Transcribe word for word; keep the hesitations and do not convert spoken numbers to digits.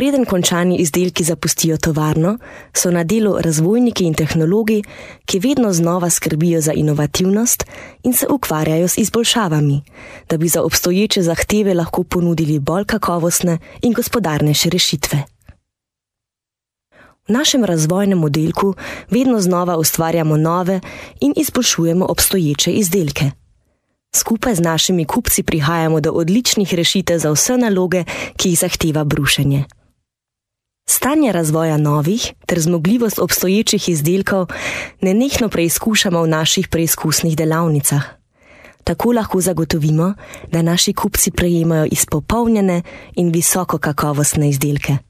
Preden končani izdelki zapustijo tovarno, so na delu razvojniki in tehnologi, ki vedno znova skrbijo za inovativnost in se ukvarjajo z izboljšavami, da bi za obstoječe zahteve lahko ponudili bolj kakovostne in gospodarnejše rešitve. V našem razvojnem oddelku vedno znova ustvarjamo nove in izboljšujemo obstoječe izdelke. Skupaj z našimi kupci prihajamo do odličnih rešitev za vse naloge, ki jih zahteva brušenje. Stanje razvoja novih ter zmogljivost obstoječih izdelkov nenehno preizkušamo v naših preizkusnih delavnicah. Tako lahko zagotovimo, da naši kupci prejemajo izpopolnjene in visoko kakovostne izdelke.